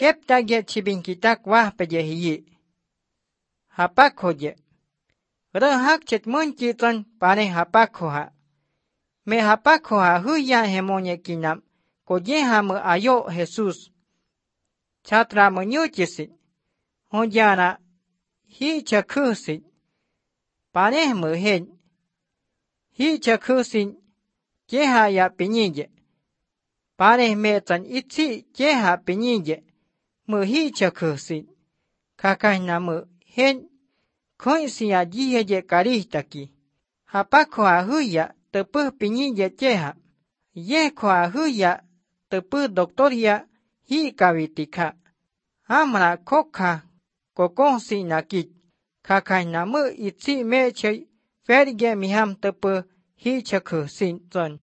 Keptagie chibinkitak wahpeje hiyi. Hapakhoje. Rehak chet munchiton pane hapakhoha. Me hapakhoha huya hemonye kinam. Koyehamu ayo Jesus. Chatra munyuchisit. Honjana hi chakhusit. Panehmu hen. Hi chakhusit. Jeha ya pinyije. Paneh metan itzi jeha pinyije. Mu hi chakhusit. Kakahnamu hen. Koinsiya jiheje karihtaki. Hapakhoha huya tepuh pinyije jeha. Yekhoha huya tepuh doktoria hi kavitika. Amra kokha kokonsi nakit. Kakahnamu itzi meche ferge miham tepuh hi chakhusit zon.